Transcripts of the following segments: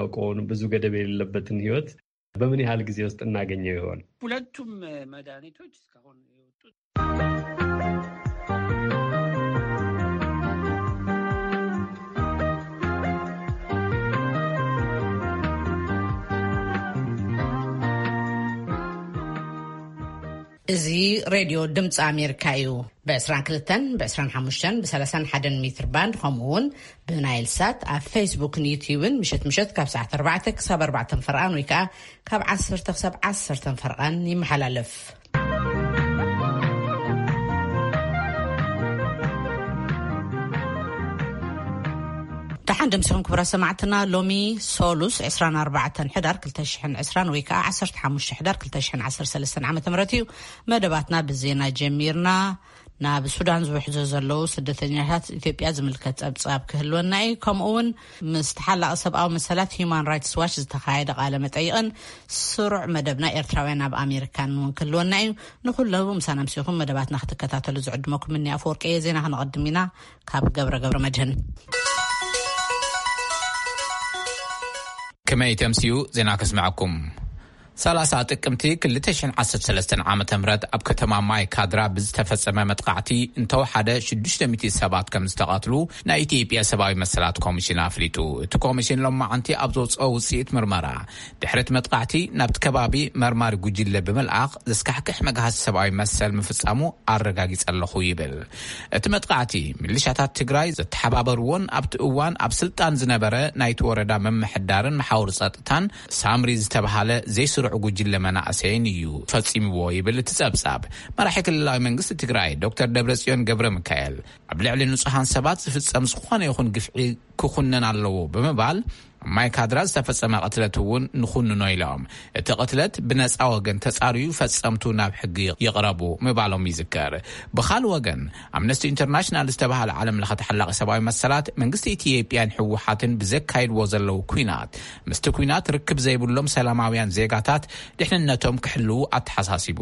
የምናውቀውን ብዙ ገደብ የሌለበትን ህይወት በምን ያህል ጊዜ ውስጥ እናገኘው ይሆን? ሁለቱም መድኃኒቶች እስካሁን የወጡት እዚ ሬድዮ ድምፂ ኣሜሪካ እዩ። ብ22፣ ብ25፣ ብ31 ሜትር ባንድ፣ ከምኡ እውን ብናይል ሳት ኣብ ፌስቡክን ዩትዩብን ምሸት ምሸት ካብ ሰዓት ኣርባዕተ ክሳብ ኣርባዕተ ፈርቓን ወይ ከዓ ካብ ዓሰርተ ክሳብ ዓሰርተ ፈርቓን ይመሓላለፍ። ደሓን ደምሲኹም ክቡራት ሰማዕትና። ሎሚ ሶሉስ ዕስራን ኣርባዕተን ሕዳር ክልተ ሽሕን ዕስራን ወይ ከዓ ዓሰርተ ሓሙሽተ ሕዳር ክልተ ሽሕን ዓሰርተ ሰለስተን ዓመተ ምህረት እዩ። መደባትና ብዜና ጀሚርና። ናብ ሱዳን ዝውሕዞ ዘለዉ ስደተኛታት ኢትዮጵያ ዝምልከት ጸብጻብ ክህልወና እዩ። ከምኡ እውን ምስ ተሓላቒ ሰብኣዊ መሰላት ሂዩማን ራይትስ ዋች ዝተኻየደ ቃለ መጠይቕን ስሩዕ መደብና ኤርትራውያን ኣብ ኣሜሪካን እውን ክህልወና እዩ። ንኹሉ ምሳና ምሲኹም መደባትና ክትከታተሉ ዝዕድመኩም እኒ ኣፈወርቂ እየ። ዜና ክነቐድም ኢና ካብ ገብረ ገብረ መድህን። ከመይ ተምስዩ ዜና ከስምዐኩም። ሰላሳ ጥቅምቲ ክልተ ሽሕን ዓሰርተ ሰለስተን ዓመተ ምህረት ኣብ ከተማ ማይ ካድራ ብዝተፈጸመ መጥቃዕቲ እንተወሓደ ሽዱሽተ ሚእቲ ሰባት ከም ዝተቐትሉ ናይ ኢትዮጵያ ሰብኣዊ መሰላት ኮሚሽን ኣፍሊጡ። እቲ ኮሚሽን ሎማዓንቲ ኣብ ዘውፅኦ ውፅኢት ምርመራ፣ ድሕሪ እቲ መጥቃዕቲ ናብቲ ከባቢ መርማሪ ጉጅለ ብምልኣኽ ዘስካሕክሕ መግሃሲ ሰብኣዊ መሰል ምፍጻሙ ኣረጋጊጸ ኣለኹ ይብል። እቲ መጥቃዕቲ ሚሊሻታት ትግራይ ዘተሓባበርዎን ኣብቲ እዋን ኣብ ስልጣን ዝነበረ ናይቲ ወረዳ ምምሕዳርን መሓውር ጸጥታን ሳምሪ ዝተባሃለ ዘይስሩዕ ጉጅለ መናእሰይን እዩ ፈጺምዎ ይብል እቲ ጸብጻብ። መራሒ ክልላዊ መንግስቲ ትግራይ ዶክተር ደብረጽዮን ገብረ ሚካኤል፣ ኣብ ልዕሊ ንጹሃን ሰባት ዝፍጸም ዝኾነ ይኹን ግፍዒ ክኹነን ኣለዎ ብምባል፣ ኣብ ማይ ካድራ ዝተፈጸመ ቅትለት እውን ንኹንኖ ኢሎም። እቲ ቅትለት ብነጻ ወገን ተጻርዩ ፈጸምቱ ናብ ሕጊ ይቕረቡ ምባሎም ይዝከር። ብኻልእ ወገን፣ ኣምነስቲ ኢንተርናሽናል ዝተባህለ ዓለም ለኸ ተሓላቒ ሰብኣዊ መሰላት መንግስቲ ኢትዮጵያን ህወሓትን ብዘካይድዎ ዘለዉ ኲናት፣ ምስቲ ኲናት ርክብ ዘይብሎም ሰላማውያን ዜጋታት ድሕንነቶም ክሕልዉ ኣተሓሳሲቡ።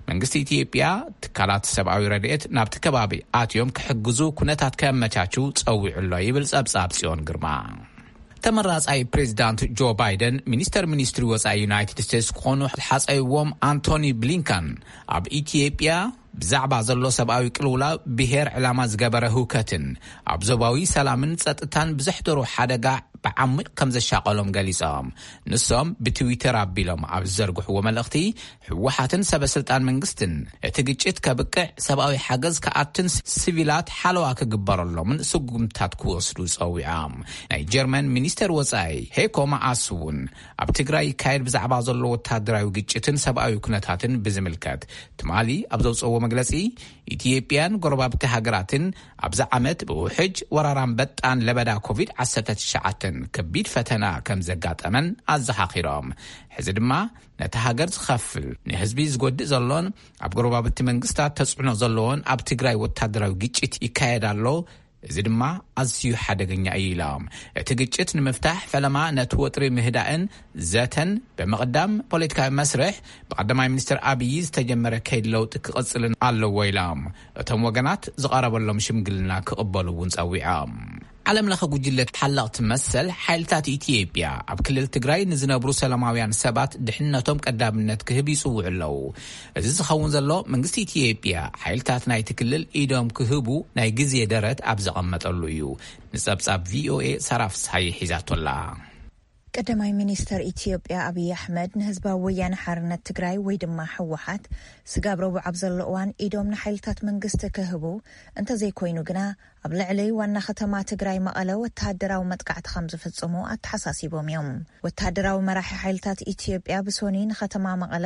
መንግስቲ ኢትዮጵያ ትካላት ሰብኣዊ ረድኤት ናብቲ ከባቢ ኣትዮም ክሕግዙ ኩነታት ከመቻችው ጸዊዑ ኣሎ ይብል ጸብጻብ ጽዮን ግርማ። ተመራጻይ ፕሬዚዳንት ጆ ባይደን ሚኒስተር ሚኒስትሪ ወጻኢ ዩናይትድ ስቴትስ ክኾኑ ሓጸይዎም ኣንቶኒ ብሊንከን ኣብ ኢትዮጵያ ብዛዕባ ዘሎ ሰብኣዊ ቅልውላው ብሄር ዕላማ ዝገበረ ህውከትን ኣብ ዞባዊ ሰላምን ጸጥታን ብዘሕደሮ ሓደጋ ብዓሚቕ ከም ዘሻቐሎም ገሊጾም። ንሶም ብትዊተር ኣቢሎም ኣብ ዝዘርግሕዎ መልእኽቲ፣ ህወሓትን ሰበ ስልጣን መንግስትን እቲ ግጭት ከብቅዕ፣ ሰብኣዊ ሓገዝ ክኣትን ሲቪላት ሓለዋ ክግበረሎምን ስጉምታት ክወስዱ ጸዊዖም። ናይ ጀርመን ሚኒስተር ወጻኢ ሄኮ ማኣስ እውን ኣብ ትግራይ ይካየድ ብዛዕባ ዘሎ ወታደራዊ ግጭትን ሰብኣዊ ኩነታትን ብዝምልከት ትማሊ ኣብ ዘውፅእዎ መግለፂ፣ ኢትዮጵያን ጎረባብቲ ሃገራትን ኣብዚ ዓመት ብውሕጅ፣ ወራር ኣንበጣን ለበዳ ኮቪድ ዓሰርተ ትሽዓተ ከቢድ ፈተና ከም ዘጋጠመን ኣዘኻኺሮም። ሕዚ ድማ ነቲ ሃገር ዝኸፍል፣ ንህዝቢ ዝጎድእ ዘሎን ኣብ ጎረባብቲ መንግስታት ተጽዕኖ ዘለዎን ኣብ ትግራይ ወታደራዊ ግጭት ይካየድ ኣሎ። እዚ ድማ ኣዝዩ ሓደገኛ እዩ ኢሎም። እቲ ግጭት ንምፍታሕ ፈለማ ነቲ ወጥሪ ምህዳእን ዘተን ብምቕዳም ፖለቲካዊ መስርሕ ብቀዳማይ ሚኒስትር ኣብዪ ዝተጀመረ ከይዲ ለውጢ ክቕጽልን ኣለዎ ኢሎም። እቶም ወገናት ዝቐረበሎም ሽምግልና ክቕበሉ እውን ጸዊዖም። ዓለም ለኸ ጉጅለ ተሓለቕቲ መሰል ሓይልታት ኢትዮጵያ ኣብ ክልል ትግራይ ንዝነብሩ ሰላማውያን ሰባት ድሕነቶም ቀዳምነት ክህብ ይጽውዑ ኣለዉ። እዚ ዝኸውን ዘሎ መንግስቲ ኢትዮጵያ ሓይልታት ናይቲ ክልል ኢዶም ክህቡ ናይ ግዜ ደረት ኣብ ዘቐመጠሉ እዩ። ንጸብጻብ ቪኦኤ ሳራ ፍስሃየ ሒዛቶላ። ቀዳማይ ሚኒስተር ኢትዮጵያ ኣብይ ኣሕመድ ንህዝባዊ ወያነ ሓርነት ትግራይ ወይ ድማ ህወሓት ስጋብ ረቡዕ ኣብ ዘሎ እዋን ኢዶም ንሓይልታት መንግስቲ ክህቡ፣ እንተዘይኮይኑ ግና ኣብ ልዕሊ ዋና ከተማ ትግራይ መቐለ ወተሃደራዊ መጥቃዕቲ ከም ዝፍጽሙ ኣተሓሳሲቦም እዮም። ወተሃደራዊ መራሒ ሓይልታት ኢትዮጵያ ብሶኒ ንከተማ መቐለ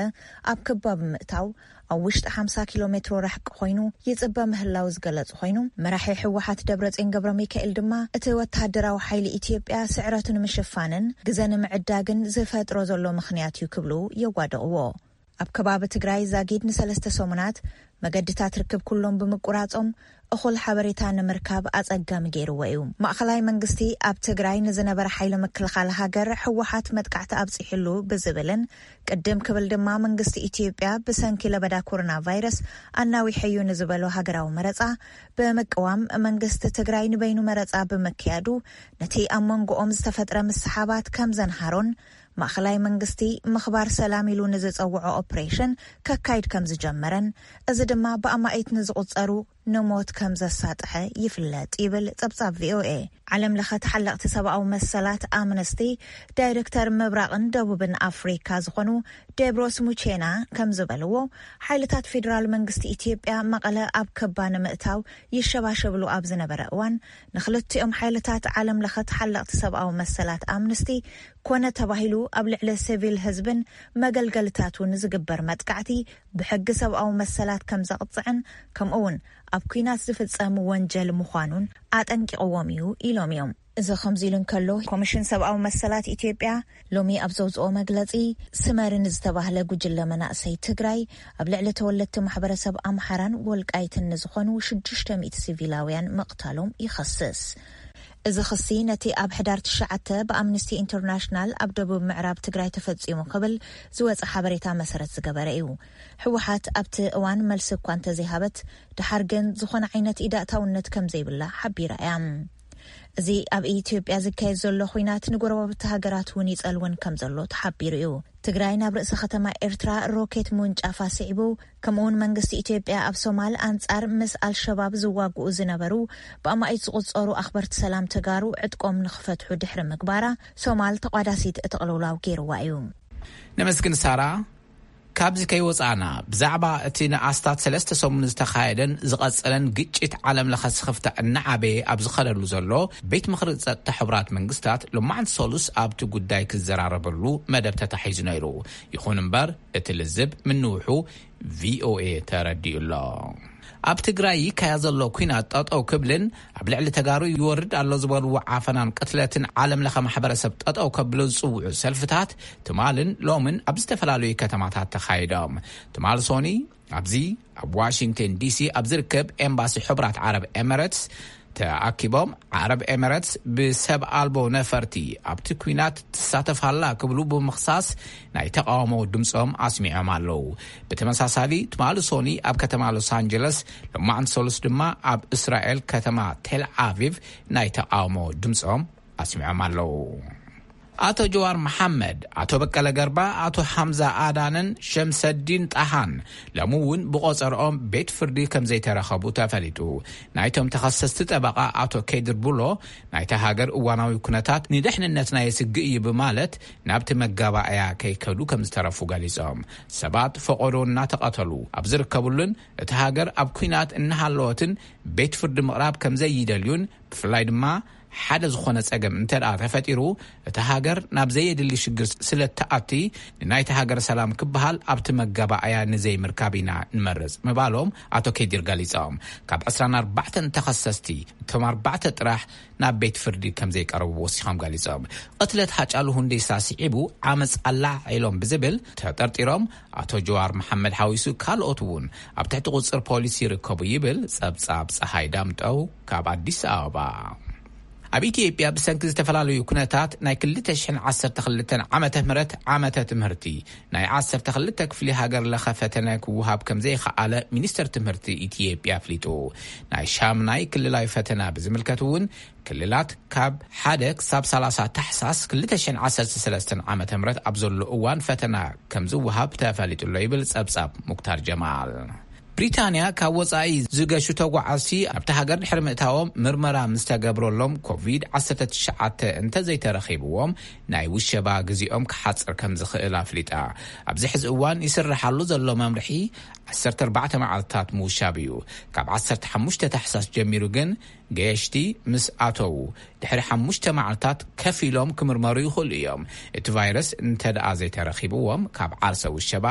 ኣብ ክባብ ምእታው ኣብ ውሽጢ ሓምሳ ኪሎ ሜትሮ ርሕቂ ኮይኑ ይጽበ ምህላው ዝገለጹ ኮይኑ፣ መራሒ ህወሓት ደብረጽዮን ገብረ ሚካኤል ድማ እቲ ወተሃደራዊ ሓይሊ ኢትዮጵያ ስዕረቱ ንምሽፋንን ግዘ ንምዕዳግን ዝፈጥሮ ዘሎ ምኽንያት እዩ ክብሉ የዋድቕዎ። ኣብ ከባቢ ትግራይ ዛጊድ ንሰለስተ ሰሙናት መገድታት ርክብ ኩሎም ብምቁራጾም፣ እኹል ሓበሬታ ንምርካብ ኣጸጋሚ ገይርዎ እዩ። ማእኸላይ መንግስቲ ኣብ ትግራይ ንዝነበረ ሓይሊ ምክልኻል ሃገር ህወሓት መጥቃዕቲ ኣብጺሕሉ ብዝብልን፣ ቅድም ክብል ድማ መንግስቲ ኢትዮጵያ ብሰንኪ ለበዳ ኮሮና ቫይረስ ኣናዊሐዩ ንዝበሎ ሃገራዊ መረጻ ብምቅዋም፣ መንግስቲ ትግራይ ንበይኑ መረጻ ብምክያዱ፣ ነቲ ኣብ መንጎኦም ዝተፈጥረ ምስሓባት ከም ዘንሃሮን፣ ማእኸላይ መንግስቲ ምኽባር ሰላም ኢሉ ንዝጸውዖ ኦፕሬሽን ከካይድ ከም ዝጀመረን፣ እዚ ድማ ብኣማኢት ንዝቑጸሩ ንሞት ከም ዘሳጥሐ ይፍለጥ ይብል ጸብጻብ ቪኦኤ። ዓለም ለኸ ተሓለቕቲ ሰብኣዊ መሰላት ኣምነስቲ፣ ዳይሬክተር ምብራቕን ደቡብን ኣፍሪካ ዝኾኑ ዴብሮስ ሙቼና ከም ዝበልዎ፣ ሓይልታት ፌዴራል መንግስቲ ኢትዮጵያ መቐለ ኣብ ከባ ንምእታው ይሸባሸብሉ ኣብ ዝነበረ እዋን፣ ንክልቲኦም ሓይልታት ዓለም ለኸ ተሓለቕቲ ሰብኣዊ መሰላት ኣምነስቲ ኮነ ተባሂሉ ኣብ ልዕሊ ሲቪል ህዝብን መገልገልታቱን ዝግበር መጥቃዕቲ ብሕጊ ሰብኣዊ መሰላት ከም ዘቕጽዕን፣ ከምኡ እውን ኣብ ኲናት ዝፍጸም ወንጀል ምዃኑን ኣጠንቂቕዎም እዩ ኢሎም እዮም። እዚ ከምዚ ኢሉ እንከሎ፣ ኮሚሽን ሰብኣዊ መሰላት ኢትዮጵያ ሎሚ ኣብ ዘውፅኦ መግለፂ፣ ስመርን ዝተባህለ ጉጅለ መናእሰይ ትግራይ ኣብ ልዕሊ ተወለድቲ ማሕበረሰብ ኣምሓራን ወልቃይትን ንዝኾኑ ሽዱሽተ ሚእቲ ሲቪላውያን ምቕታሎም ይኸስስ። እዚ ክሲ ነቲ ኣብ ሕዳር ትሽዓተ ብኣምነስቲ ኢንተርናሽናል ኣብ ደቡብ ምዕራብ ትግራይ ተፈጺሙ ክብል ዝወጸ ሓበሬታ መሰረት ዝገበረ እዩ። ህወሓት ኣብቲ እዋን መልሲ እኳ እንተዘይሃበት፣ ድሓር ግን ዝኾነ ዓይነት ኢዳእታውነት ከም ዘይብላ ሓቢራ እያ። እዚ ኣብ ኢትዮጵያ ዝካየድ ዘሎ ኹናት ንጎረባብቲ ሃገራት እውን ይጸልውን ከም ዘሎ ተሓቢሩ እዩ። ትግራይ ናብ ርእሰ ከተማ ኤርትራ ሮኬት ምውንጫፋ ስዒቡ፣ ከምኡውን መንግስቲ ኢትዮጵያ ኣብ ሶማል ኣንጻር ምስ ኣልሸባብ ዝዋግኡ ዝነበሩ ብኣማኢት ዝቑጸሩ ኣኽበርቲ ሰላም ተጋሩ ዕጥቆም ንኽፈትሑ ድሕሪ ምግባራ፣ ሶማል ተቋዳሲት እቲ ቅልውላው ገይርዋ እዩ። ነመስግን ሳራ። ካብዚ ከይወጻእና፣ ብዛዕባ እቲ ንኣስታት ሰለስተ ሰሙን ዝተኻየደን ዝቐጸለን ግጭት ዓለም ለኸ ስኽፍታ እናዓበየ ኣብ ዝኸደሉ ዘሎ፣ ቤት ምኽሪ ጸጥታ ሕቡራት መንግስታት ሎማዕንቲ ሰሉስ ኣብቲ ጉዳይ ክዘራረበሉ መደብ ተታሒዙ ነይሩ። ይኹን እምበር፣ እቲ ልዝብ ምንውሑ ቪኦኤ ተረዲኡ ኣሎ። ኣብ ትግራይ ይካያ ዘሎ ኲናት ጠጠው ክብልን ኣብ ልዕሊ ተጋሩ ይወርድ ኣሎ ዝበልዎ ዓፈናን ቅትለትን ዓለም ለኸ ማሕበረሰብ ጠጠው ከብሎ ዝጽውዑ ሰልፍታት ትማልን ሎምን ኣብ ዝተፈላለዩ ከተማታት ተኻይዶም። ትማል ሶኒ ኣብዚ ኣብ ዋሽንግተን ዲሲ ኣብ ዝርከብ ኤምባሲ ሕቡራት ዓረብ ኤምሬትስ ተኣኪቦም፣ ዓረብ ኤምሬትስ ብሰብ ኣልቦ ነፈርቲ ኣብቲ ኲናት ትሳተፍ ኣላ ክብሉ ብምኽሳስ ናይ ተቓውሞ ድምጾም ኣስሚዖም ኣለዉ። ብተመሳሳሊ ትማሊ ሶኒ ኣብ ከተማ ሎስ ኣንጀለስ፣ ሎማዕንቲ ሰሉስ ድማ ኣብ እስራኤል ከተማ ቴል ኣቪቭ ናይ ተቓውሞ ድምጾም ኣስሚዖም ኣለዉ። ኣቶ ጀዋር መሓመድ፣ ኣቶ በቀለ ገርባ፣ ኣቶ ሓምዛ ኣዳንን ሸምሰዲን ጣሃን ሎሚ እውን ብቆጸርኦም ቤት ፍርዲ ከም ዘይተረኸቡ ተፈሊጡ። ናይቶም ተኸሰስቲ ጠበቓ ኣቶ ከድር ቡሎ፣ ናይታ ሃገር እዋናዊ ኩነታት ንደሕንነትና የስግእ እዩ ብማለት ናብቲ መጋባእያ ከይከዱ ከም ዝተረፉ ገሊጾም። ሰባት ፈቖዶ እናተቐተሉ ኣብ ዝርከብሉን እቲ ሃገር ኣብ ኲናት እናሃለወትን ቤት ፍርዲ ምቕራብ ከም ዘይደልዩን፣ ብፍላይ ድማ ሓደ ዝኾነ ጸገም እንተ ደኣ ተፈጢሩ፣ እታ ሃገር ናብ ዘየድሊ ሽግር ስለ እትኣቲ፣ ንናይታ ሃገር ሰላም ክበሃል ኣብቲ መጋባእያ ንዘይምርካብ ኢና ንመርጽ ምባሎም ኣቶ ከዲር ገሊጾም። ካብ ዕስራን ኣርባዕተን ተኸሰስቲ፣ እቶም ኣርባዕተ ጥራሕ ናብ ቤት ፍርዲ ከም ዘይቀረቡ ወሲኾም ገሊጾም። ቅትለት ሃጫሉ ሁንዴሳ ስዒቡ ዓመጽ ኣላዒሎም ብዝብል ተጠርጢሮም ኣቶ ጀዋር መሓመድ ሓዊሱ ካልኦት እውን ኣብ ትሕቲ ቁጽር ፖሊስ ይርከቡ ይብል ጸብጻብ ጸሃይ ዳምጠው ካብ ኣዲስ ኣበባ። ኣብ ኢትዮጵያ ብሰንኪ ዝተፈላለዩ ኩነታት ናይ ክልተ ሽሕን ዓሰርተ ክልተን ዓመተ ምህረት ዓመተ ትምህርቲ ናይ ዓሰርተ ክልተ ክፍሊ ሃገር ለኸ ፈተነ ክወሃብ ከም ዘይኸኣለ ሚኒስተር ትምህርቲ ኢትዮጵያ ኣፍሊጡ። ናይ ሻምናይ ክልላዊ ፈተና ብዝምልከት እውን ክልላት ካብ ሓደ ክሳብ ሰላሳ ታሕሳስ ክልተ ሽሕን ዓሰርተ ሰለስተን ዓመተ ምህረት ኣብ ዘሎ እዋን ፈተና ከም ዝወሃብ ተፈሊጡ ኣሎ ይብል ጸብጻብ ሙክታር ጀማል። ብሪታንያ ካብ ወጻኢ ዝገሹ ተጓዓዝቲ ኣብቲ ሃገር ድሕሪ ምእታዎም ምርመራ ምስ ተገብረሎም ኮቪድ ዓሰርተ ትሽዓተ እንተዘይተረኺብዎም ናይ ውሸባ ግዜኦም ክሓጽር ከም ዝኽእል ኣፍሊጣ። ኣብዚ ሕዚ እዋን ይስርሓሉ ዘሎ መምርሒ ዓሰርተ ኣርባዕተ መዓልታት ምውሻብ እዩ። ካብ ዓሰርተ ሓሙሽተ ታሕሳስ ጀሚሩ ግን ገየሽቲ ምስ ኣተዉ ድሕሪ ሓሙሽተ መዓልታት ከፊሎም ክምርመሩ ይኽእሉ እዮም። እቲ ቫይረስ እንተ ደኣ ዘይተረኺብዎም ካብ ዓርሰ ውሸባ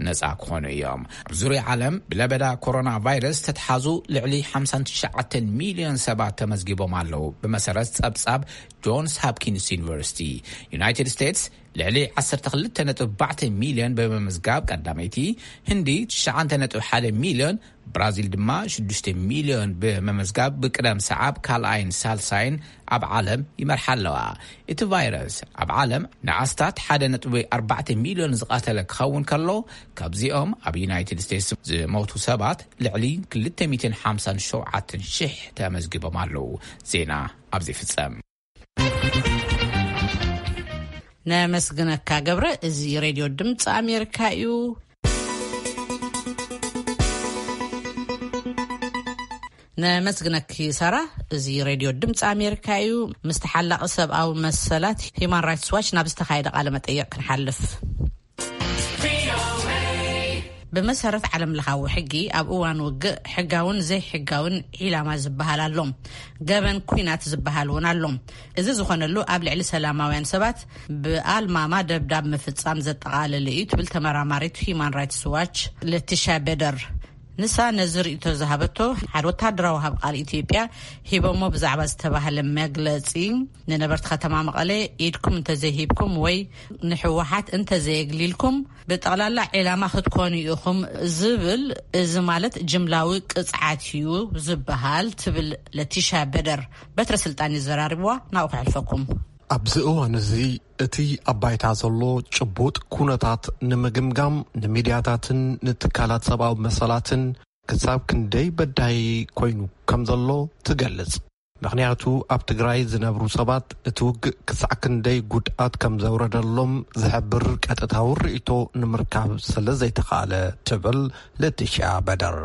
ነጻ ክኾኑ እዮም። ኣብ ዙርያ ዓለም ብለበዳ ኮሮና ቫይረስ ተተሓዙ ልዕሊ ሓምሳን ትሽዓተን ሚልዮን ሰባት ተመዝጊቦም ኣለዉ። ብመሰረት ጸብጻብ ጆንስ ሃፕኪንስ ዩኒቨርሲቲ፣ ዩናይትድ ስቴትስ ልዕሊ ዓሰርተ ክልተ ነጥቢ ኣርባዕተ ሚልዮን ብምምዝጋብ ቀዳመይቲ፣ ህንዲ ትሽዓተ ነጥቢ ሓደ ሚልዮን፣ ብራዚል ድማ ሽዱሽተ ሚልዮን ብምምዝጋብ ብቅደም ሰዓብ ካልኣይን ሳልሳይን ኣብ ዓለም ይመርሓ ኣለዋ። እቲ ቫይረስ ኣብ ዓለም ንኣስታት ሓደ ነጥቢ ኣርባዕተ ሚልዮን ዝቐተለ ክኸውን ከሎ፣ ካብዚኦም ኣብ ዩናይትድ ስቴትስ ዝሞቱ ሰባት ልዕሊ ክልተ ሚእትን ሓምሳን ሸውዓተን ሽሕ ተመዝጊቦም ኣለዉ። ዜና ኣብዚ ይፍጸም። ነመስግነካ ገብረ። እዚ ሬድዮ ድምፂ ኣሜሪካ እዩ። ነመስግነኪ ሳራ። እዚ ሬድዮ ድምፂ ኣሜሪካ እዩ። ምስ ተሓላቒ ሰብኣዊ መሰላት ሂማን ራይትስ ዋች ናብ ዝተኻየደ ቃለ መጠይቕ ክንሓልፍ። ብመሰረት ዓለም ለኻዊ ሕጊ ኣብ እዋን ውግእ ሕጋውን ዘይሕጋውን ዒላማ ዝበሃል ኣሎ። ገበን ኩናት ዝበሃል እውን ኣሎ። እዚ ዝኾነሉ ኣብ ልዕሊ ሰላማውያን ሰባት ብኣልማማ ደብዳብ ምፍጻም ዘጠቓለለ እዩ ትብል ተመራማሪት ሂማን ራይትስ ዋች ለቲሻ ቤደር። ንሳ ነዚ ርእይቶ ዝሃበቶ ሓደ ወታደራዊ ሃብ ቃል ኢትዮጵያ ሂቦሞ ብዛዕባ ዝተባህለ መግለጺ፣ ንነበርቲ ከተማ መቐለ ኢድኩም እንተዘይሂብኩም ወይ ንሕወሓት እንተዘየግሊልኩም ብጠቕላላ ዒላማ ክትኮኑ ኢኹም ዝብል፣ እዚ ማለት ጅምላዊ ቅጽዓት እዩ ዝበሃል ትብል ለቲሻ በደር። በትረ ስልጣን ይዘራርብዋ፣ ናብኡ ክሕልፈኩም። ኣብዚ እዋን እዚ እቲ ኣብ ባይታ ዘሎ ጭቡጥ ኩነታት ንምግምጋም ንሚድያታትን ንትካላት ሰብኣዊ መሰላትን ክሳብ ክንደይ በዳሂ ኮይኑ ከም ዘሎ ትገልጽ። ምኽንያቱ ኣብ ትግራይ ዝነብሩ ሰባት እቲ ውግእ ክሳዕ ክንደይ ጉድኣት ከም ዘውረደሎም ዝሕብር ቀጥታዊ ርእይቶ ንምርካብ ስለ ዘይተኻእለ ትብል ለቲሻ በደር።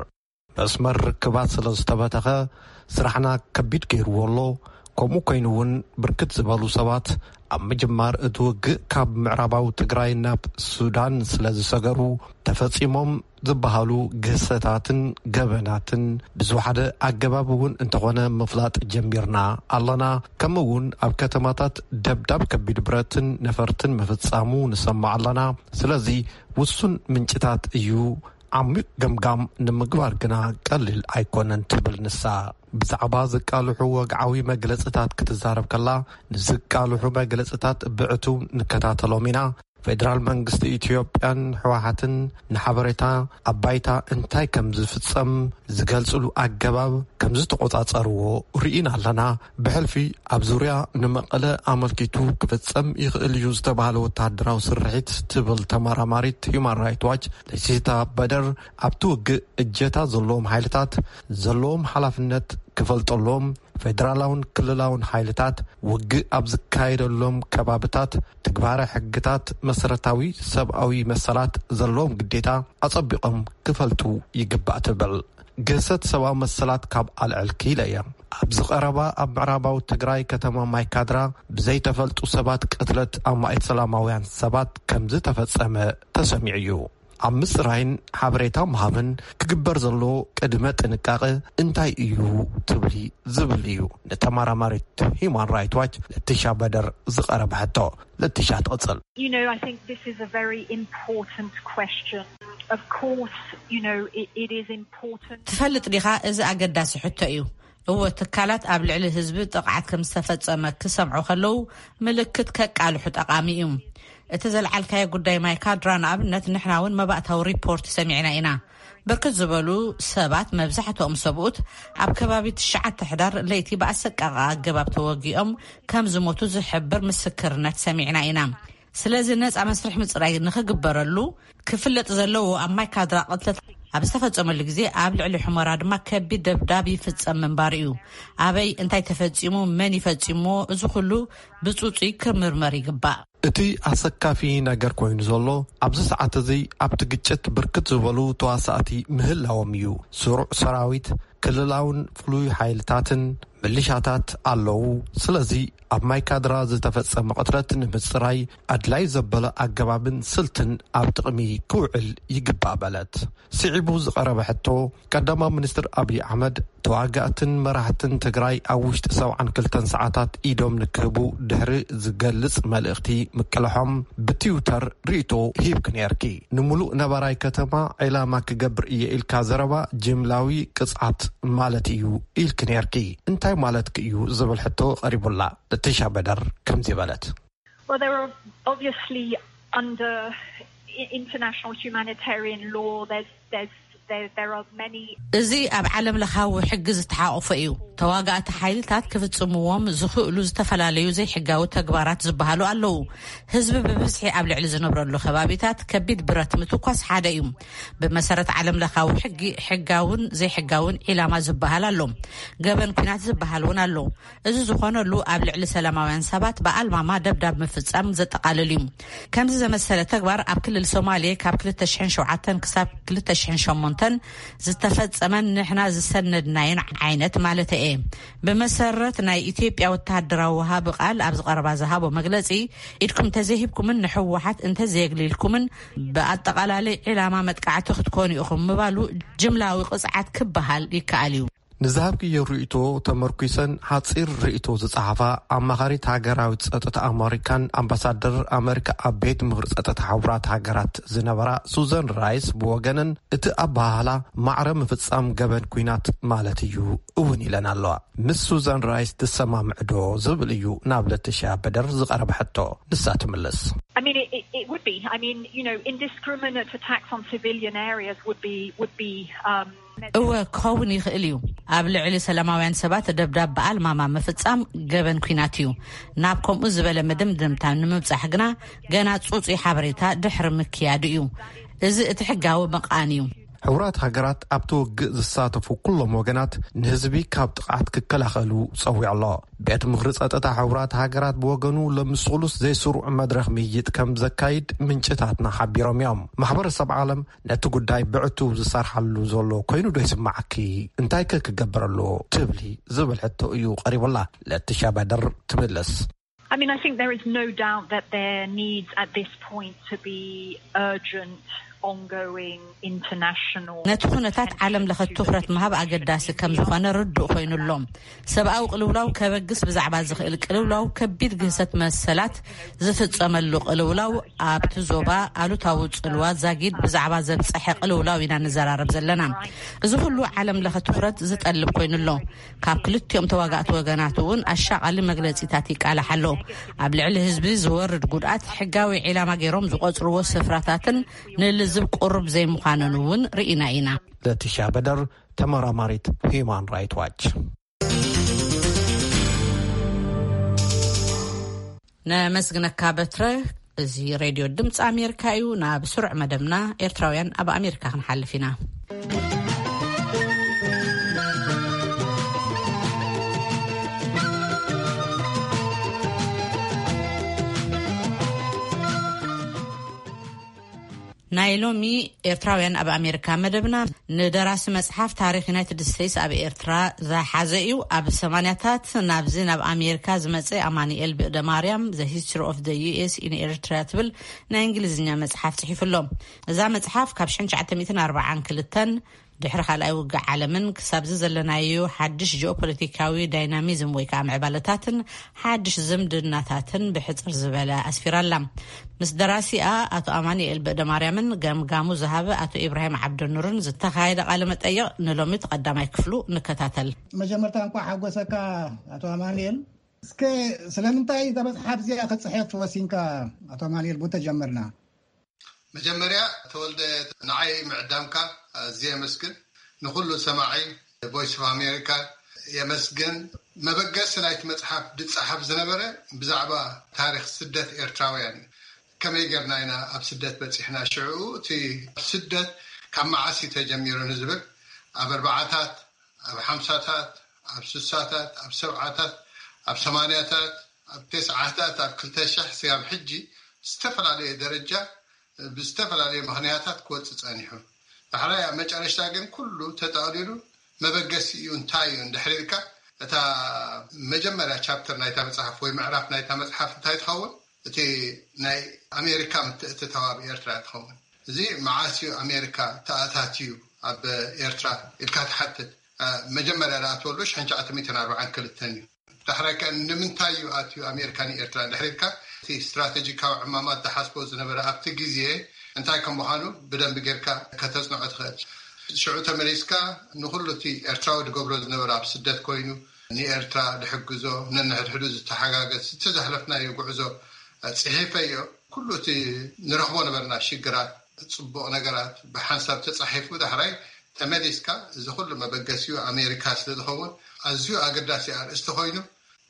መስመር ርክባት ስለ ዝተበተኸ ስራሕና ከቢድ ገይርዎ ኣሎ። ከምኡ ኮይኑ እውን ብርክት ዝበሉ ሰባት ኣብ ምጅማር እቲ ውግእ ካብ ምዕራባዊ ትግራይ ናብ ሱዳን ስለ ዝሰገሩ ተፈጺሞም ዝበሃሉ ግህሰታትን ገበናትን ብዝወሓደ ኣገባብ እውን እንተኾነ ምፍላጥ ጀሚርና ኣለና። ከምኡ እውን ኣብ ከተማታት ደብዳብ ከቢድ ብረትን ነፈርትን ምፍጻሙ ንሰማዕ ኣለና። ስለዚ ውሱን ምንጭታት እዩ። ዓሚቕ ገምጋም ንምግባር ግና ቀሊል ኣይኮነን ትብል ንሳ። ብዛዕባ ዝቃልሑ ወግዓዊ መግለጽታት ክትዛረብ ከላ፣ ንዝቃልሑ መግለጽታት ብዕቱብ ንከታተሎም ኢና። ፌደራል መንግስቲ ኢትዮጵያን ህወሓትን ንሓበሬታ ኣብ ባይታ እንታይ ከም ዝፍጸም ዝገልጽሉ ኣገባብ ከም ዝተቖጻጸርዎ ርኢና ኣለና። ብሕልፊ ኣብ ዙርያ ንመቐለ ኣመልኪቱ ክፍጸም ይኽእል እዩ ዝተባህለ ወተሃደራዊ ስርሒት ትብል ተመራማሪት ሂዩማን ራይት ዋች ለሲታ በደር፣ ኣብቲ ውግእ እጀታ ዘለዎም ሓይልታት ዘለዎም ሓላፍነት ክፈልጠሎም፣ ፌደራላውን ክልላውን ሓይልታት ውግእ ኣብ ዝካየደሎም ከባብታት ትግባረ ሕግታት መሰረታዊ ሰብኣዊ መሰላት ዘለዎም ግዴታ ኣጸቢቖም ክፈልጡ ይግባእ ትብል። ግህሰት ሰብኣዊ መሰላት ካብ ኣልዕል ክኢለ እየ። ኣብዚ ቀረባ ኣብ ምዕራባዊ ትግራይ ከተማ ማይካድራ ብዘይተፈልጡ ሰባት ቅትለት ኣማኢት ሰላማውያን ሰባት ከም ዝተፈጸመ ተሰሚዑ እዩ። ኣብ ምጽራይን ሓበሬታ ምሃብን ክግበር ዘሎ ቅድመ ጥንቃቐ እንታይ እዩ ትብሊ ዝብል እዩ ንተመራማሪት ሂዩማን ራይት ዋች ለቲሻ በደር ዝቐረበ ሕቶ። ለቲሻ ትቕጽል። You know, I think this is a very important question. Of course, you know, it, it is important. ትፈልጥ ዲኻ? እዚ ኣገዳሲ ሕቶ እዩ። እወ፣ ትካላት ኣብ ልዕሊ ህዝቢ ጥቕዓት ከም ዝተፈጸመ ክሰምዑ ከለዉ ምልክት ከቃልሑ ጠቓሚ እዩ። እቲ ዘልዓልካዮ ጉዳይ ማይካድራ ንኣብነት፣ ንሕና እውን መባእታዊ ሪፖርት ሰሚዕና ኢና። ብርክት ዝበሉ ሰባት፣ መብዛሕትኦም ሰብኡት፣ ኣብ ከባቢ ትሽዓተ ሕዳር ለይቲ ብኣሰቃቒ ኣገባብ ተወጊኦም ከም ዝሞቱ ዝሕብር ምስክርነት ሰሚዕና ኢና። ስለዚ ነጻ መስርሕ ምጽራይ ንኽግበረሉ ክፍለጥ ዘለዎ፣ ኣብ ማይካድራ ቅትለት ኣብ ዝተፈጸመሉ ግዜ ኣብ ልዕሊ ሑመራ ድማ ከቢድ ደብዳብ ይፍጸም ምንባሩ እዩ። ኣበይ፣ እንታይ ተፈጺሙ፣ መን ይፈጺምዎ፣ እዚ ኩሉ ብጽጹይ ክምርመር ይግባእ። እቲ ኣሰካፊ ነገር ኮይኑ ዘሎ ኣብዚ ሰዓት እዚ ኣብቲ ግጭት ብርክት ዝበሉ ተዋሳእቲ ምህላዎም እዩ። ስሩዕ ሰራዊት፣ ክልላውን ፍሉይ ሓይልታትን ምልሻታት ኣለዉ። ስለዚ ኣብ ማይካድራ ዝተፈጸመ ቅትለት ንምጽራይ ኣድላይ ዘበለ ኣገባብን ስልትን ኣብ ጥቕሚ ክውዕል ይግባእ በለት። ስዒቡ ዝቐረበ ሕቶ ቀዳማዊ ሚኒስትር ኣብይ ኣሕመድ ተዋጋእትን መራሕትን ትግራይ ኣብ ውሽጢ ሰብዓን ክልተን ሰዓታት ኢዶም ንክህቡ ድሕሪ ዝገልጽ መልእኽቲ ምቅልሖም ብትዊተር ርእይቶ ሂብኪ ነርኪ። ንምሉእ ነባራይ ከተማ ዒላማ ክገብር እየ ኢልካ ዘረባ ጅምላዊ ቅጽዓት ማለት እዩ ኢልኪ ነርኪ። እንታይ ማለትኪ እዩ ዝብል ሕቶ ቀሪቡላ። ለቲሻ በደር ከምዚ በለት። Well, there are obviously under i- international humanitarian law, there's there's there, there are many እዚ ኣብ ዓለም ለኻዊ ሕጊ ዝተሓቆፈ እዩ። ተዋጋእቲ ሓይልታት ክፍጽምዎም ዝኽእሉ ዝተፈላለዩ ዘይሕጋዊ ተግባራት ዝበሃሉ ኣለዉ። ህዝቢ ብብዝሒ ኣብ ልዕሊ ዝነብረሉ ከባቢታት ከቢድ ብረት ምትኳስ ሓደ እዩ። ብመሰረት ዓለም ለኻዊ ሕጊ ሕጋውን ዘይሕጋውን ዒላማ ዝበሃል ኣሎ። ገበን ኲናት ዝበሃል እውን ኣሎ። እዚ ዝኾነሉ ኣብ ልዕሊ ሰላማውያን ሰባት ብኣልማማ ደብዳብ ምፍጻም ዘጠቓልል እዩ። ከምዚ ዘመሰለ ተግባር ኣብ ክልል ሶማሌ ካብ ክልተ ሽሕን ሸውዓተን ክሳብ ክልተ ሽሕን ሸሞንተን ዝተፈጸመን ንሕና ዝሰነድናዮን ዓይነት ማለት እየ። ብመሰረት ናይ ኢትዮጵያ ወተሃደራዊ ወሃቢ ቃል ኣብ ዝቐረባ ዝሃቦ መግለጺ፣ ኢድኩም እንተዘይሂብኩምን ንሕወሓት እንተዘየግሊልኩምን ብኣጠቓላሊ ዒላማ መጥቃዕቲ ክትኮኑ ኢኹም ምባሉ ጅምላዊ ቅጽዓት ክበሃል ይከኣል እዩ። ንዝሃብክዮ ርእይቶ ተመርኲሰን ሓጺር ርእይቶ ዝጸሓፋ ኣማኻሪት ሃገራዊ ጸጥታ ኣመሪካን ኣምባሳደር ኣመሪካ ኣብ ቤት ምኽሪ ጸጥታ ሕቡራት ሃገራት ዝነበራ ሱዘን ራይስ ብወገነን፣ እቲ ኣበሃህላ ማዕረ ምፍጻም ገበን ኲናት ማለት እዩ እውን ኢለን ኣለዋ። ምስ ሱዘን ራይስ ትሰማምዕዶ ዝብል እዩ ናብ ለቲሻ በደር ዝቐረበ ሕቶ። ንሳ ትምልስ። I mean, it, it, it would be. I mean, you know, indiscriminate attacks on civilian areas would be would be. Um, እወ፣ ክኸውን ይኽእል እዩ። ኣብ ልዕሊ ሰላማውያን ሰባት ደብዳብ ብኣልማማ ምፍጻም ገበን ኲናት እዩ። ናብ ከምኡ ዝበለ መደምደምታ ንምብጻሕ ግና ገና ጽጹይ ሓበሬታ ድሕሪ ምክያዱ እዩ። እዚ እቲ ሕጋዊ መቓን እዩ። ሕቡራት ሃገራት ኣብቲ ውግእ ዝሳተፉ ኩሎም ወገናት ንህዝቢ ካብ ጥቕዓት ክከላኸሉ ጸዊዑ ኣሎ። ቤት ምኽሪ ጸጥታ ሕቡራት ሃገራት ብወገኑ ሎሚ ስሉስ ዘይስሩዕ መድረኽ ምይይጥ ከም ዘካይድ ምንጭታትና ሓቢሮም እዮም። ማሕበረሰብ ዓለም ነቲ ጉዳይ ብዕቱብ ዝሰርሓሉ ዘሎ ኮይኑ ዶ ይስማዓኪ? እንታይ ከ ክገብር ኣሎ ትብሊ? ዝብል ሕቶ እዩ ቀሪቡላ። ለቲሻ በደር ትምልስ። I mean, I think there is no doubt that there needs at this point to be urgent, ongoing international ነቲ ኩነታት ዓለም ለኸ ትኹረት ምሃብ ኣገዳሲ ከም ዝኾነ ርዱእ ኮይኑ ኣሎ። ሰብኣዊ ቅልውላው ከበግስ ብዛዕባ ዝኽእል ቅልውላው ከቢድ ግህሰት መሰላት ዝፍጸመሉ ቅልውላው ኣብቲ ዞባ ኣሉታዊ ጽልዋ ዛጊድ ብዛዕባ ዘብጸሐ ቅልውላው ኢና ንዘራረብ ዘለና። እዚ ኩሉ ዓለም ለኸ ትኹረት ዝጠልብ ኮይኑ ኣሎ። ካብ ክልቲኦም ተዋጋእቲ ወገናት እውን ኣሻቓሊ መግለጺታት ይቃላሕ ኣሎ። ኣብ ልዕሊ ህዝቢ ዝወርድ ጉድኣት ሕጋዊ ዒላማ ገይሮም ዝቆጽርዎ ስፍራታትን ንልዝብ ቅሩብ ዘይምዃኑን እውን ርኢና ኢና። ለቲሻ በደር፣ ተመራማሪት ሂዩማን ራይት ዋች። ነመስግነካ በትረ። እዚ ሬድዮ ድምፂ ኣሜሪካ እዩ። ናብ ስሩዕ መደብና ኤርትራውያን ኣብ ኣሜሪካ ክንሓልፍ ኢና። ናይ ሎሚ ኤርትራውያን ኣብ ኣሜሪካ መደብና ንደራሲ መጽሓፍ ታሪኽ ዩናይትድ ስቴትስ ኣብ ኤርትራ ዝሓዘ እዩ። ኣብ ሰማንያታት ናብዚ ናብ ኣሜሪካ ዝመጸ ኣማኑኤል ብእደ ማርያም The History of the U S in Eritrea ትብል ናይ እንግሊዝኛ መጽሓፍ ጽሒፉ ኣሎ። እዛ መጽሓፍ ካብ ሽሕን ትሽዓተ ሚእትን ኣርባዓን ክልተን ድሕሪ ካልኣይ ውግእ ዓለምን ክሳብዚ ዘለናዮ ሓድሽ ጂኦፖለቲካዊ ዳይናሚዝም ወይ ከዓ ምዕባለታትን ሓድሽ ዝምድናታትን ብሕጽር ዝበለ ኣስፊራ ኣላ። ምስ ደራሲኣ ኣቶ ኣማኑኤል በእደማርያምን ገምጋሙ ዝሃበ ኣቶ ኢብራሂም ዓብደኑርን ዝተኻየደ ቃለ መጠይቕ ንሎሚ እቲ ቀዳማይ ክፍሉ ንከታተል። መጀመርታ እንኳዕ ሓጎሰካ ኣቶ ኣማኑኤል። እስከ ስለምንታይ እዛ መጽሓፍ እዚኣ ክጽሕፍ ወሲንካ ኣቶ ኣማኑኤል? ብኡ ተጀመርና። መጀመርያ ተወልደ ንዓይ ምዕዳምካ ኣዝየ የመስግን። ንኹሉ ሰማዒ ቮይስ ኦፍ ኣሜሪካ የመስግን። መበገሲ ናይቲ መጽሓፍ ዝጸሓፍ ዝነበረ ብዛዕባ ታሪኽ ስደት ኤርትራውያን፣ ከመይ ጌርና ኢና ኣብ ስደት በጺሕና፣ ሽዑ እቲ ስደት ካብ መዓስ እዩ ተጀሚሩ ንዝብል፣ ኣብ ኣርባዓታት፣ ኣብ ሓምሳታት፣ ኣብ ስሳታት፣ ኣብ ሰብዓታት፣ ኣብ ሰማንያታት፣ ኣብ ተስዓታት ኣብ ክልተ ሽሕ ስጋብ ሕጂ ዝተፈላለየ ደረጃ ብዝተፈላለየ ምኽንያታት ክወፅእ ፀኒሑ። ዳሕራይ ኣብ መጨረሽታ ግን ኩሉ ተጠቕሊሉ መበገሲኡ እንታይ እዩ እንድሕር ኢልካ፣ እታ መጀመርያ ቻፕተር ናይታ መፅሓፍ ወይ ምዕራፍ ናይታ መፅሓፍ እንታይ ትኸውን? እቲ ናይ ኣሜሪካ ምትእትታው ኣብ ኤርትራ ትኸውን። እዚ መዓስ እዩ ኣሜሪካ ተኣታትዩ ኣብ ኤርትራ ኢልካ ትሓትት። መጀመርያ ዝኣተወሉ ሽሕን ትሽዓተ ሚእትን ኣርባዓን ክልተን እዩ። ዳሕራይ ከ ንምንታይ እዩ ኣትዩ ኣሜሪካ ንኤርትራ እንድሕር ኢልካ፣ እቲ ስትራቴጂካዊ ዕማማት ዝሓስቦ ዝነበረ ኣብቲ ግዜ እንታይ ከም ምዃኑ ብደንቢ ጌርካ ከተጽንዖ ትኽእል። ሽዑ ተመሊስካ ንኹሉ እቲ ኤርትራዊ ዝገብሮ ዝነበረ ኣብ ስደት ኮይኑ ንኤርትራ ዝሕግዞ፣ ነንሕድሕዱ ዝተሓጋገዝ፣ እቲ ዘሕለፍናዮ ጉዕዞ ጽሒፈዮ። ኩሉ እቲ ንረኽቦ ነበርና ሽግራት፣ ጽቡቕ ነገራት ብሓንሳብ ተጻሒፉ ዳሕራይ ተመሊስካ፣ እዚ ኩሉ መበገሲኡ ኣሜሪካ ስለ ዝኸውን ኣዝዩ ኣገዳሲ ኣርእስቲ ኮይኑ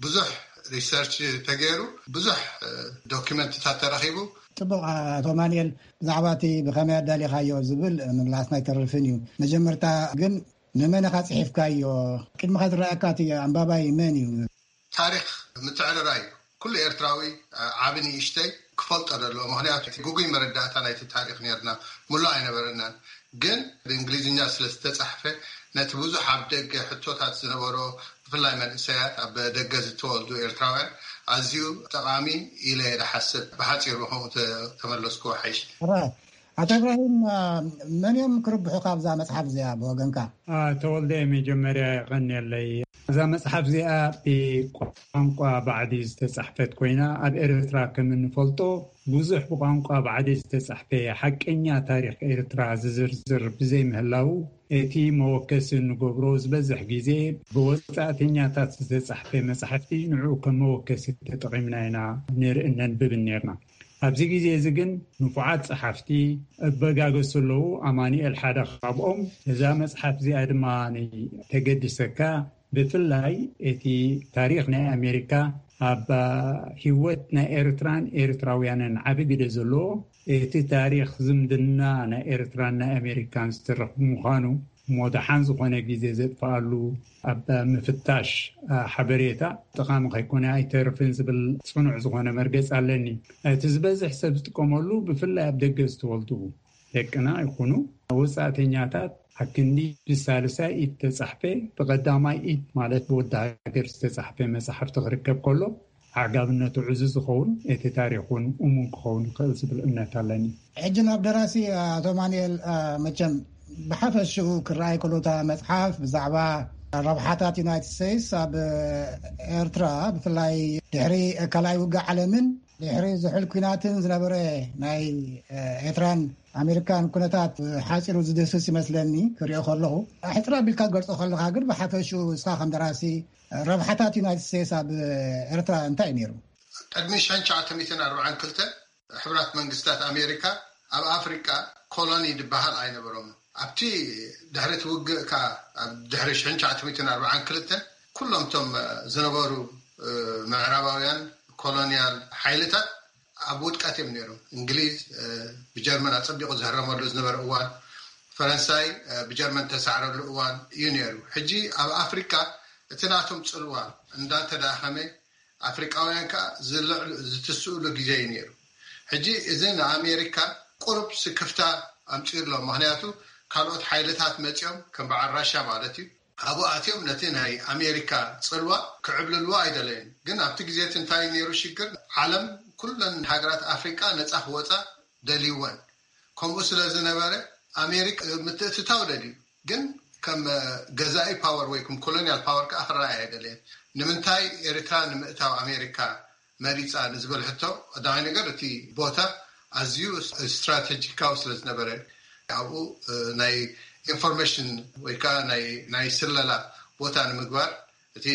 ብዙሕ ሪሰርች ተገይሩ፣ ብዙሕ ዶኪመንትታት ተረኺቡ። ጽቡቕ ኣቶ ማንኤል፣ ብዛዕባ እቲ ብኸመይ ኣዳሊኻዮ ዝብል ምምላስና ኣይተርፍን እዩ። መጀመርታ ግን ንመን ኢኻ ጽሒፍካዮ? ቅድሚኻ ዝረኣየካ እቲ ኣንባባይ መን እዩ? ታሪኽ ምትዕርራይ እዩ። ኩሉ ኤርትራዊ ዓቢ ንእሽተይ ክፈልጦ ዘለዎ፣ ምኽንያቱ እቲ ግጉይ መረዳእታ ናይቲ ታሪኽ ነርና ምሉእ ኣይነበረናን። ግን ብእንግሊዝኛ ስለ ዝተጻሕፈ ነቲ ብዙሕ ኣብ ደገ ሕቶታት ዝነበሮ፣ ብፍላይ መንእሰያት ኣብ ደገ ዝተወልዱ ኤርትራውያን ኣዝዩ ጠቓሚ ኢለ እየ ዝሓስብ። ብሓጺሩ ብኸምኡ ተመለስኩ ሓይሽ። ኣቶ እብራሂም፣ መን እዮም ክርብሑ ካብዛ መጽሓፍ እዚኣ ብወገንካ? ተወልደ፣ መጀመርያ የቐንየለይ። እዛ መጽሓፍ እዚኣ ብቋንቋ ባዕዲ ዝተጻሕፈት ኮይና፣ ኣብ ኤርትራ ከም እንፈልጦ ብዙሕ ብቋንቋ ባዕዲ ዝተጻሕፈ ሓቀኛ ታሪኽ ኤርትራ ዝዝርዝር ብዘይምህላው፣ እቲ መወከሲ እንገብሮ ዝበዝሕ ግዜ ብወጻእተኛታት ዝተጻሕፈ መጻሕፍቲ ንዕኡ ከም መወከሲ ተጠቒምና ኢና ንርኢ ነንብብን ነርና። ኣብዚ ግዜ እዚ ግን ንፉዓት ጸሓፍቲ እበጋገሱ ኣለዉ። ኣማኑኤል ሓደ ካብኦም። እዛ መጽሓፍ እዚኣ ድማ ተገድሰካ፣ ብፍላይ እቲ ታሪኽ ናይ ኣሜሪካ ኣብ ህይወት ናይ ኤርትራን ኤርትራውያንን ዓቢ ግደ ዘለዎ፣ እቲ ታሪኽ ዝምድና ናይ ኤርትራን ናይ ኣሜሪካን ዝተረኽቡ ምዃኑ፣ እሞ ደሓን ዝኾነ ግዜ ዘጥፍኣሉ ኣብ ምፍታሽ ሓበሬታ ጠቓሚ ከይኮነ ኣይተርፍን ዝብል ጽኑዕ ዝኾነ መርገጽ ኣለኒ። እቲ ዝበዝሕ ሰብ ዝጥቀመሉ፣ ብፍላይ ኣብ ደገ ዝተወልዱ ደቅና ይኹኑ ወጻእተኛታት፣ ኣክንዲ ብሳልሳይ ኢድ ተጻሕፈ፣ ብቐዳማይ ኢድ ማለት ብወዲ ሃገር ዝተጻሕፈ መጽሓፍቲ ክርከብ ከሎ፣ ዓጋብነቱ ዕዙዝ ዝኸውን፣ እቲ ታሪኽ እውን እሙን ክኸውን ይኽእል ዝብል እምነት ኣለኒ። ሕጂ ናብ ደራሲ ኣቶ ማንኤል፣ መቸም ብሓፈሽኡ ክረኣይ ከሎ፣ እታ መጽሓፍ ብዛዕባ ረብሓታት ዩናይትድ ስቴትስ ኣብ ኤርትራ፣ ብፍላይ ድሕሪ ካልኣይ ውግእ ዓለምን ድሕሪ ዝሑል ኲናትን ዝነበረ ናይ ኤርትራን ኣሜሪካን ኩነታት ሓጺሩ ዝድህስስ ይመስለኒ ክሪኦ ከለኹ። ሕጽር ኣቢልካ ክትገልጾ ከለኻ ግን፣ ብሓፈሽኡ ንስኻ ከም ደራሲ ረብሓታት ዩናይትድ ስቴትስ ኣብ ኤርትራ እንታይ እዩ ነይሩ? ቅድሚ ሽሕን ትሽዓተ ሚእትን ኣርባዓን ክልተን፣ ሕቡራት መንግስታት ኣሜሪካ ኣብ ኣፍሪቃ ኮሎኒ ዝበሃል ኣይነበሮምን። ኣብቲ ድሕሪ እቲ ውግእ ከኣ፣ ኣብ ድሕሪ ሽሕን ትሽዓተ ሚእትን ኣርባዓን ክልተን፣ ኩሎም እቶም ዝነበሩ ምዕራባውያን ኮሎኒያል ሓይልታት ኣብ ውድቀት እዮም ነይሮም። እንግሊዝ ብጀርመን ኣጸቢቑ ዝህረመሉ ዝነበረ እዋን፣ ፈረንሳይ ብጀርመን ተሳዕረሉ እዋን እዩ ነይሩ። ሕጂ ኣብ ኣፍሪቃ እቲ ናቶም ጽልዋ እንዳተዳኸመ፣ ኣፍሪቃውያን ከኣ ዝልዕሉ ዝትስእሉ ግዜ እዩ ነይሩ። ሕጂ እዚ ንኣሜሪካ ቁሩብ ስክፍታ ኣምጺኡ ኣሎ። ምኽንያቱ ካልኦት ሓይልታት መጺኦም፣ ከም በዓል ራሻ ማለት እዩ፣ ኣብኡ ኣትዮም ነቲ ናይ ኣሜሪካ ጽልዋ ክዕብልልዎ ኣይደለዩን። ግን ኣብቲ ግዜ እቲ እንታይ ነይሩ ሽግር? ዓለም፣ ኩለን ሃገራት ኣፍሪቃ ነጻ ክወጻ ደልይወን። ከምኡ ስለ ዝነበረ ኣሜሪካ ምትእትታው ደልዩ። ግን ከም ገዛኢ ፓወር ወይ ከም ኮሎኒያል ፓወር ከኣ ክረኣይ ኣይደለየን። ንምንታይ ኤርትራ ንምእታው ኣሜሪካ መሪጻ ንዝብል ሕቶ፣ ቀዳማይ ነገር እቲ ቦታ ኣዝዩ ስትራቴጂካዊ ስለ ዝነበረ፣ ኣብኡ ናይ ኢንፎርሜሽን ወይ ከዓ ናይ ስለላ ቦታ ንምግባር፣ እቲ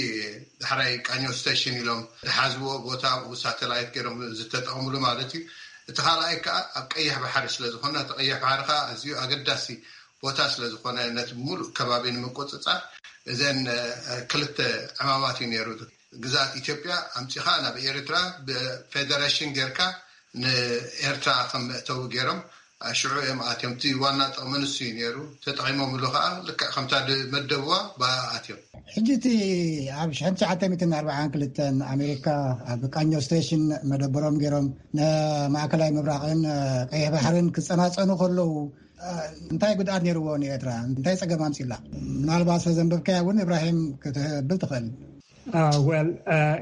ዳሕራይ ቃኘው ስቴሽን ኢሎም ዝሓዝዎ ቦታ፣ ኣብኡ ሳተላይት ገይሮም ዝተጠቐምሉ ማለት እዩ። እቲ ካልኣይ ከዓ ኣብ ቀይሕ ባሕሪ ስለ ዝኾነ፣ እቲ ቀይሕ ባሕሪ ከዓ ኣዝዩ ኣገዳሲ ቦታ ስለ ዝኾነ፣ ነቲ ሙሉእ ከባቢ ንምቁፅፃር እዘን ክልተ ዕማማት እዩ ነይሩ። ግዝኣት ኢትዮጵያ ኣምፂኻ ናብ ኤርትራ ብፌደሬሽን ጌርካ ንኤርትራ ከም መእተዊ ገይሮም ሽዑ እዮም ኣትዮም። እቲ ዋና ጥቕሚ ንሱ እዩ ነይሩ። ተጠቒሞምሉ ከዓ ልክዕ ከምታ ዝመደብዋ ብኣ ኣትዮም። ሕጂ እቲ ኣብ ሽሕን ትሽዓተ ሚእትን ኣርባዓን ክልተን ኣሜሪካ ኣብ ቃኞ ስቴሽን መደበሮም ገይሮም ንማእከላይ ምብራቕን ቀይሕ ባሕርን ክጸናጸኑ ከለዉ እንታይ ጉድኣት ነይርዎ ንኤርትራ? እንታይ ጸገም ኣምጺላ? ምናልባት ተዘንበብካያ እውን እብራሂም ክትብል ትኽእል። ወል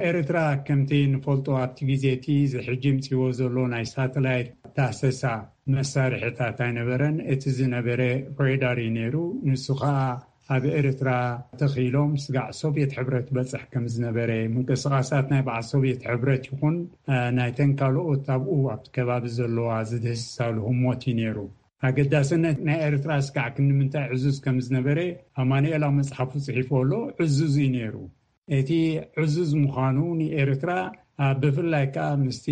ኤርትራ ከምቲ ንፈልጦ ኣብቲ ግዜ እቲ እዚ ሕጂ ምፅዎ ዘሎ ናይ ሳተላይት ዳሰሳ መሳርሕታት ኣይነበረን። እቲ ዝነበረ ሬዳር እዩ ነይሩ። ንሱ ከዓ ኣብ ኤርትራ ተኺሎም ስጋዕ ሶቪየት ሕብረት በፅሕ ከም ዝነበረ፣ ምንቅስቃሳት ናይ በዓል ሶቪየት ሕብረት ይኹን ናይተን ካልኦት ኣብኡ ኣብቲ ከባቢ ዘለዋ ዝድህስሳሉ ህሞት እዩ ነይሩ። ኣገዳስነት ናይ ኤርትራ ስጋዕ ክንምንታይ ዕዙዝ ከም ዝነበረ ኣማኑኤል ኣብ መፅሓፉ ፅሒፉ ኣሎ። ዕዙዝ እዩ ነይሩ። እቲ ዕዙዝ ምዃኑ ንኤርትራ ብፍላይ ከዓ ምስቲ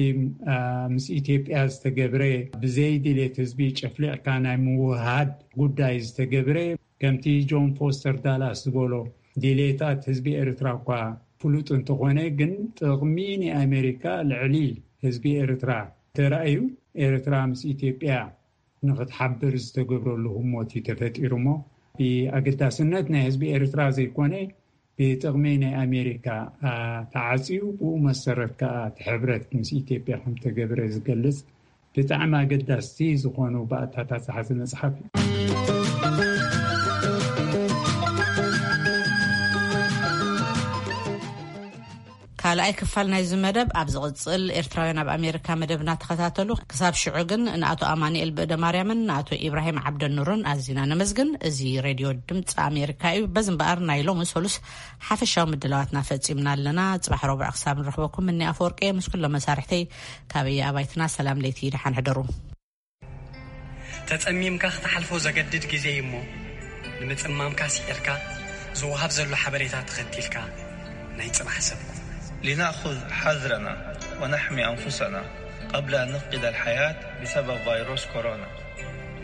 ምስ ኢትዮጵያ ዝተገብረ ብዘይ ድሌት ህዝቢ ጨፍሊቕካ ናይ ምውሃድ ጉዳይ ዝተገብረ፣ ከምቲ ጆን ፎስተር ዳላስ ዝበሎ ድሌታት ህዝቢ ኤርትራ እኳ ፍሉጥ እንተኾነ ግን ጥቕሚ ናይ ኣሜሪካ ልዕሊ ህዝቢ ኤርትራ ተራእዩ ኤርትራ ምስ ኢትዮጵያ ንኽትሓብር ዝተገብረሉ ህሞት እዩ ተፈጢሩ እሞ ብኣገዳስነት ናይ ህዝቢ ኤርትራ ዘይኮነ ብጥቕሚ ናይ ኣሜሪካ ተዓፅዩ ብኡ መሰረት ከዓ እቲ ሕብረት ምስ ኢትዮጵያ ከምተገብረ ዝገልፅ ብጣዕሚ ኣገዳስቲ ዝኾኑ ባእታታት ዝሓዘ መፅሓፍ እዩ። ካልኣይ ክፋል ናይዚ መደብ ኣብ ዝቕጽል። ኤርትራውያን ኣብ ኣሜሪካ መደብና ተኸታተሉ። ክሳብ ሽዑ ግን ንኣቶ ኣማኑኤል ብእደ ማርያምን ንኣቶ ኢብራሂም ዓብደኑርን ኣዚና ነመስግን። እዚ ሬድዮ ድምፂ ኣሜሪካ እዩ። በዚ እምበኣር ናይ ሎሚ ሰሉስ ሓፈሻዊ ምድላዋትና ፈጺምና ኣለና። ጽባሕ ረቡዕ ክሳብ ንረኽበኩም እኒ ኣፈወርቂ ምስ ኩሎም መሳርሕተይ ካበየ ኣባይትና ሰላም ለይቲ ደሓን ሕደሩ። ተጸሚምካ ክትሓልፎ ዘገድድ ግዜ እዩ እሞ ንምጽማምካ ስዒርካ ዝወሃብ ዘሎ ሓበሬታ ተኸቲልካ ናይ ጽባሕ ሰብ ኩን። لنأخذ حذرنا ونحمي أنفسنا قبل أن نفقد الحياة بسبب فيروس كورونا.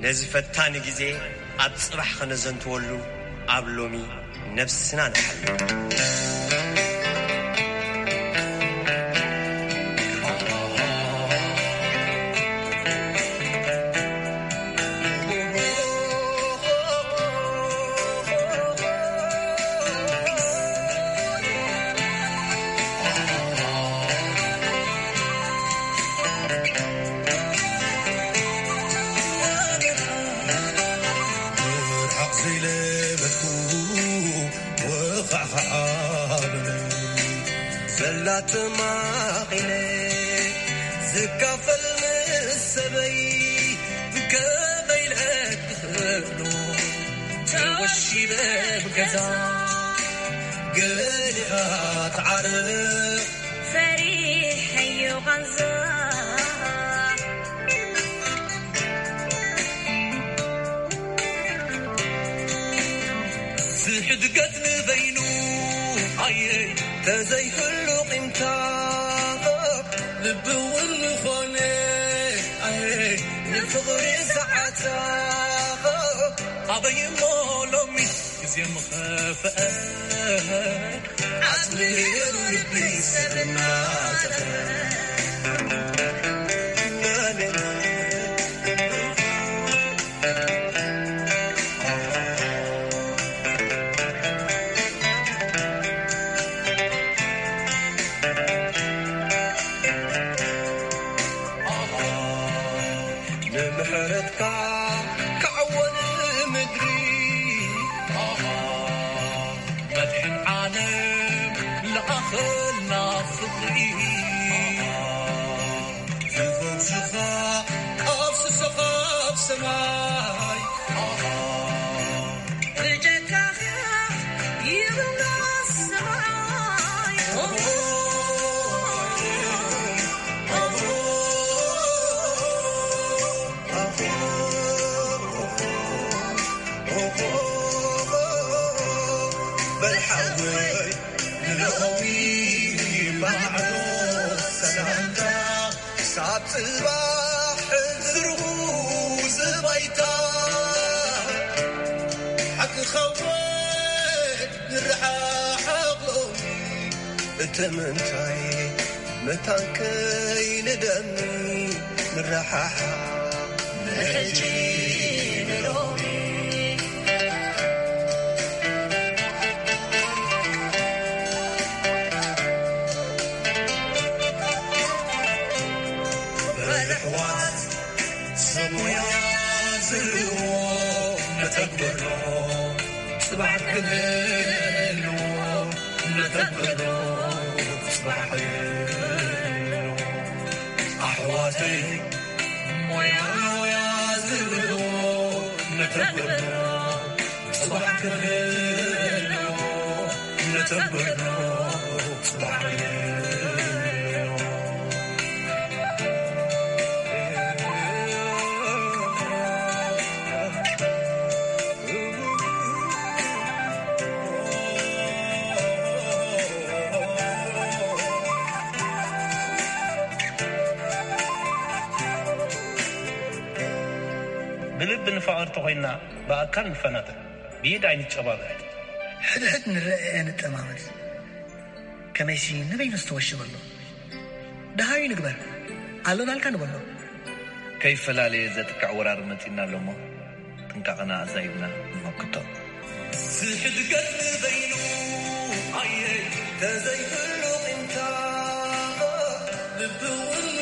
ነዚ ፈታኒ ግዜ ኣብ ጽባሕ ከነዘንትወሉ ኣብ ሎሚ ነብስና ንሓሉ። ዘላ ተማኺነ ዝካፈል ምስ ሰበይ ከመይ ኢለ ክኽእሎ ተወሺበ ብገዛ ገሊኻ ትዓርፍ ፈሪሐዮ ቃንዛ ዝሕድገት ንበይኑ ኣየ ተዘይህሉ ቂምታ ልቢ እውን ዝኾነ ኣየ ንፍቕሪ ሰዓታ ኣበይ እሞ ሎሚስ ግዜ ምኸፍአ ኣጽሊሉ ልቢ ሰብ እናጠፈ ንምሕረትካ ክዓወት ምድሪ መድሕን ዓለም ለኣኸልና ፍቕሪ ዝፈውስኻ ካብ ስሶኻ ኣብ ሰማይ ብጀካኻ ይብላ ሰማይ በል ሓወይ ንሎሚ ማዕዶ ሰላምታ ክሳብ ጽባሕ ዝርጉ ዝባይታ ሓቂ ኸውን ንረሓሓቕ ሎሚ እቲ ምንታይ መታን ከይንደሚ ንረሓሓቕ ሕጂ ንሎሚ በልሕዋት ሰብ ሞያ ዝህልዎ መተግበሮ ጽባሕ ክህልዎ መተግበሮ ጽባሕ ክህልዎ ኣሕዋተይ ሞያ ሞያ ዝህልዎ መተግበሮ ጽባሕ ክህልዎ መተግበሮ ጽባሕ ክህልዎ ብልቢ ንፋቐር ተኾይንና ብኣካል ንፈናጠር፣ ብኢድ ኣይንጨባበጥ። ሕድሕድ ንረኣየ ንጠማመት፣ ከመይሲ ንበይኑ ዝተወሸበ ኣሎ። ደሃዩ ንግበር፣ ኣለናልካ ንበሎ። ከይፈላለየ ዘጥቅዕ ወራር መጺእና ኣሎ እሞ፣ ጥንቃቐና ኣዛይብና ንመክቶ። ዝሕድገት ንበይኑ ኣየ ተዘይህሉ ቂምታ፣ ልቢ እውን